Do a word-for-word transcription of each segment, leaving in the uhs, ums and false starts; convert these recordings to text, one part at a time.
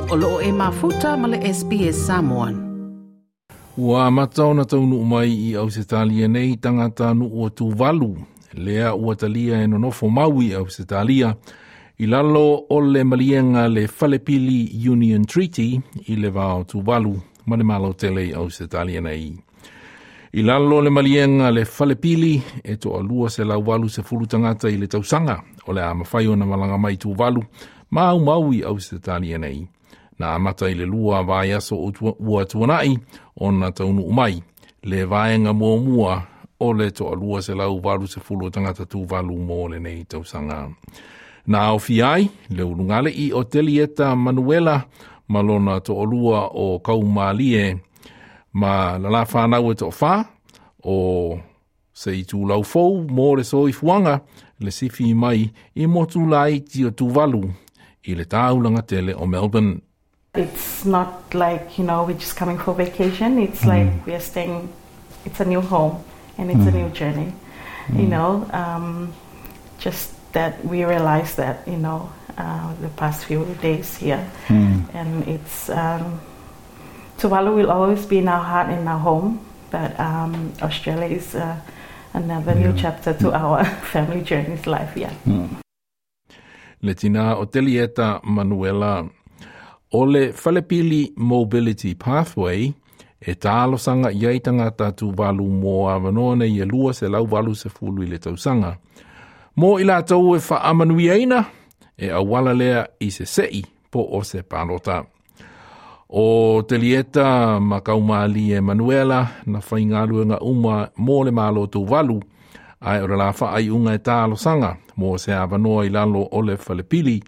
O loo e mafuta ma le S B S Samoan. Ua amata ona taunuu mai i Ausetalia nei tagatanuu o Tuvalu, lea ua talia e nonofo mau i Ausetalia, i lalo o le maliega le Falepili Union Treaty i le va o Tuvalu ma le Malo tele i Ausetalia nei. I lalo le maliega le Falepili e toalua selau valu sefulu tagata i le tausaga o le a mafai ona malaga mai Tuvalu ma aumau i Ausetalia nei. Na amata i le lua vaiaso ua tuanai ona taunuu mai le vaega muamua o le toalua selau valu sefulu tagata Tuvalu mo lenei tausaga. Na aofia ai le ulugalii o Telieta Manuela ma lona toalua o Kaumalie ma la la whanau e toawha o se i tūlau fou mō le soifuaga le sifi mai i motu laiti o Tuvalu i le taulaga tele o Melbourne. It's not like, you know, we're just coming for vacation. It's mm. like we are staying, it's a new home and it's mm. a new journey. Mm. You know, um, just that we realize that, you know, uh, the past few days here. Mm. And it's, um, Tuvalu will always be in our heart and our home, but um, Australia is uh, another yeah. new chapter to our family journey's life, yeah. Mm. Le tina o Telieta Manuela o le Falepili Mobility Pathway e talosaga i ai tagata Tuvalu mo avanoa nei e lua selau valu sefulu i le tausaga. Mo i latou e faamanuiaina e auala lea i se sei po o se palota. O Telieta ma Kaumalie Manuela na faigaluega uma mo le Malo Tuvalu ae o le la faaiuga e talosaga mo se avanoa i lalo o le falepili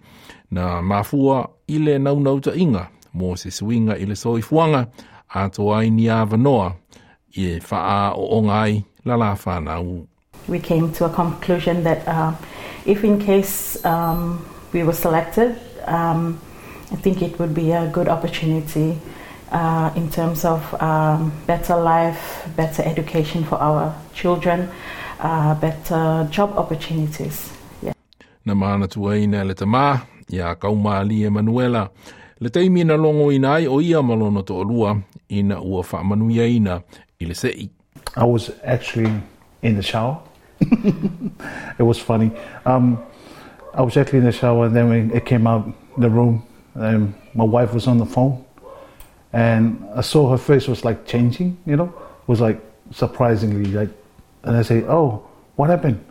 na mafua i le naunautaiga mo se suiga i le soifuaga atoa ai ni avanoa e faaooga ai la la whanau. We came to a conclusion that uh, if in case um, we were selected, um, I think it would be a good opportunity uh, in terms of um, better life, better education for our children, uh, better job opportunities. Yeah. Na manatuaina le tamā ia Kaumalie Manuela le taimi na logoina ai o ia ma lona toalua ina ua faamanuiaina i le sei. I was actually in the shower. It was funny. Um, I was actually in the shower and then when it came out the room, and my wife was on the phone and I saw her face was like changing, you know, it was like surprisingly like, and I say, "Oh, what happened?"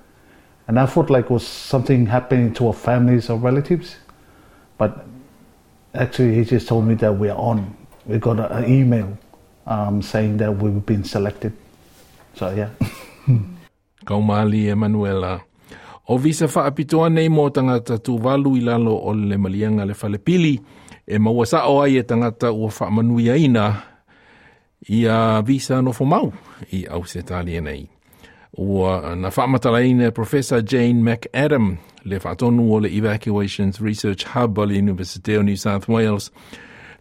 And I thought like was something happening to our families or relatives, but actually he just told me that we are on. We got an email um, saying that we've been selected. So yeah. Kaumalie Manuela. O visa faapitoa nei mo tagata Tuvalu i lalo o le maliega le falepili e maua sao ai e tagata ua faamanuiaina ia visa nofo mau i Ausetalia nei. Ua na faamatalaina Professor Jane McAdam, le faatonu o le Evacuations Research Hub o le University o New South Wales,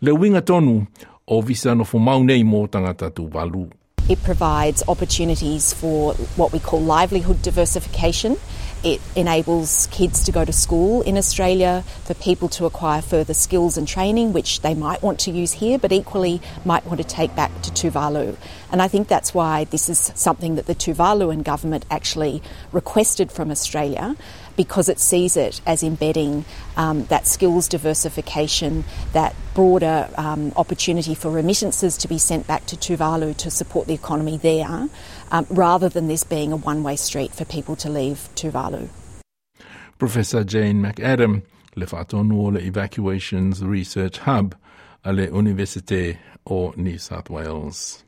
le uiga tonu o visa nofo mau nei mo tagata Tuvalu. It provides opportunities for what we call livelihood diversification. It enables kids to go to school in Australia, for people to acquire further skills and training, which they might want to use here, but equally might want to take back to Tuvalu. And I think that's why this is something that the Tuvaluan government actually requested from Australia, because it sees it as embedding um, that skills diversification, that broader um, opportunity for remittances to be sent back to Tuvalu to support the economy there, um, rather than this being a one way street for people to leave Tuvalu. Professor Jane McAdam, le faatonu o le Evacuations Research Hub a le University o New South Wales.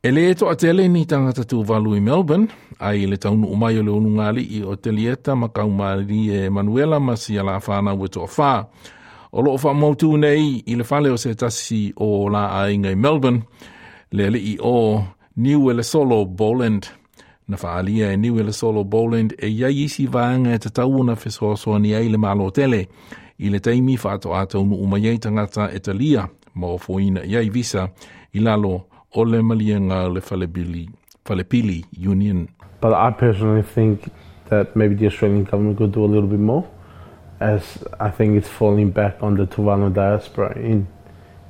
E le toatele ni tagata Tuvalu i Melbourne, ai le taunuu mai o le ulugalii o Telieta ma Kaumalie Manuela ma si ala whanau e toawhā. O loo whaamautu nei i le fale o se tasi o la aiga i Melbourne, le alii o Niuelesolo Boland. Na faalia e Niuelesolo Boland e iai isi vaega e tatau ona fesoasoani ai le Malo tele i le taimi faatoa taunuu mai ai tagata e talia ma ofoina i ai visa i lalo o le maliega le falepili, falepili Union. But I personally think that maybe the Australian government could do a little bit more. As I think it's falling back on the Tuvalu diaspora in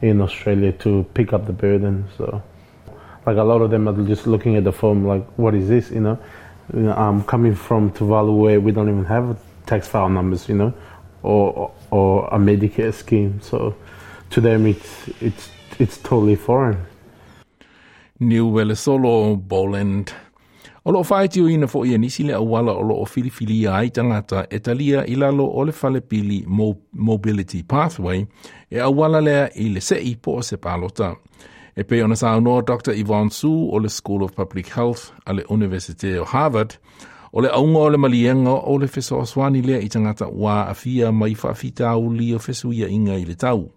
in Australia to pick up the burden. So, like a lot of them are just looking at the form like, what is this? You know, you know um, coming from Tuvalu where we don't even have tax file numbers, you know, or or a Medicare scheme. So, to them, it's it's it's totally foreign. Niu Solo Boland. O loo whaetio fo ia nisi le auala o loo filifilia ai tangata e talia i lalo o le falepili Mo Mobility Pathway e auala lea i le sei po o se palota. E pe ona saunoa Doctor Yvonne Su o le School of Public Health a le Universite o Harvard, o le aunga o le malienga o le fesoasoani lea i tangata wa afia mai faafitauli o fesuia inga i le tau.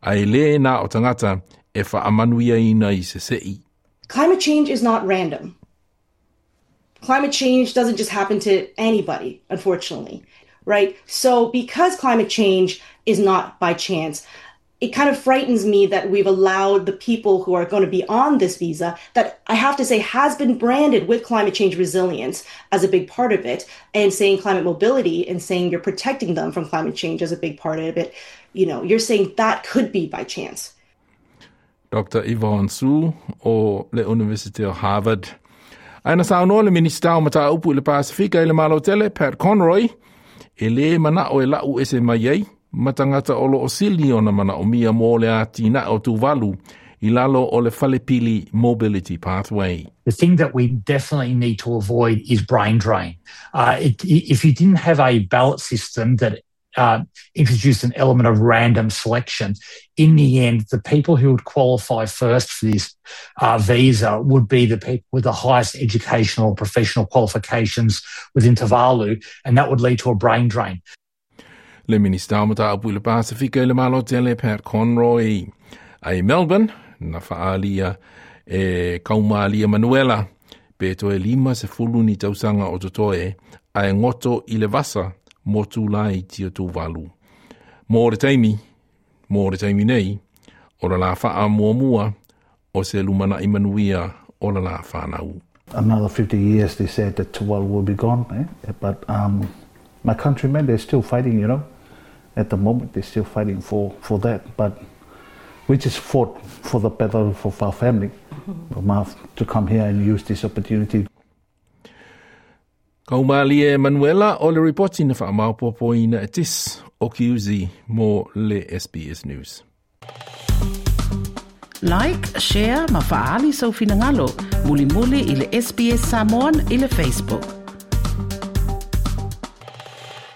A e le na o tangata e whaamanuia ina i se sei. Climate change is not random. Climate change doesn't just happen to anybody, unfortunately, right? So because climate change is not by chance, it kind of frightens me that we've allowed the people who are going to be on this visa that I have to say has been branded with climate change resilience as a big part of it, and saying climate mobility and saying you're protecting them from climate change as a big part of it. You know, you're saying that could be by chance. Doctor Yvonne Su o le University of Harvard. Ae na saunoa le Minista o Mataupu i le Pasifika i le Malo Tele, Pat Conroy, e le mana o e lau ese mai ai, matangata o lo o sili ona mana o mia mō le ātina o Tuvalu i lalo o le Falepili Mobility Pathway. The thing that we definitely need to avoid is brain drain. Uh, it, if you didn't have a ballot system that uh, introduced an element of random selection, in the end, the people who would qualify first for this uh, visa would be the people with the highest educational or professional qualifications within Tuvalu, and that would lead to a brain drain. Le Minista o Mataupu i le Pasifika i le Malo Tele, Pat Conroy. Ai Melbourne, na whaalia e kaumalia Manuela, pe toe lima se fulu ni tausanga o totoe, ai ngoto i le vasa motu lai tio Tuvalu. Mō le taimi, mō le taimi nei, o la la whaa mua mua, o se lumana i manuia o la la whanau. Another fifty years they said that Tuvalu will be gone, eh? But um, my countrymen, they're still fighting, you know. At the moment, they're still fighting for, for that. But we just fought for the better for our family, mm-hmm. to come here and use this opportunity. Kaumalie Manuela o le ripoti na whaamaupopoina e tis o kiuzi mo le S B S News. Like, share, ma faali sau finangalo, muli muli i le S B S Samoan i le Facebook.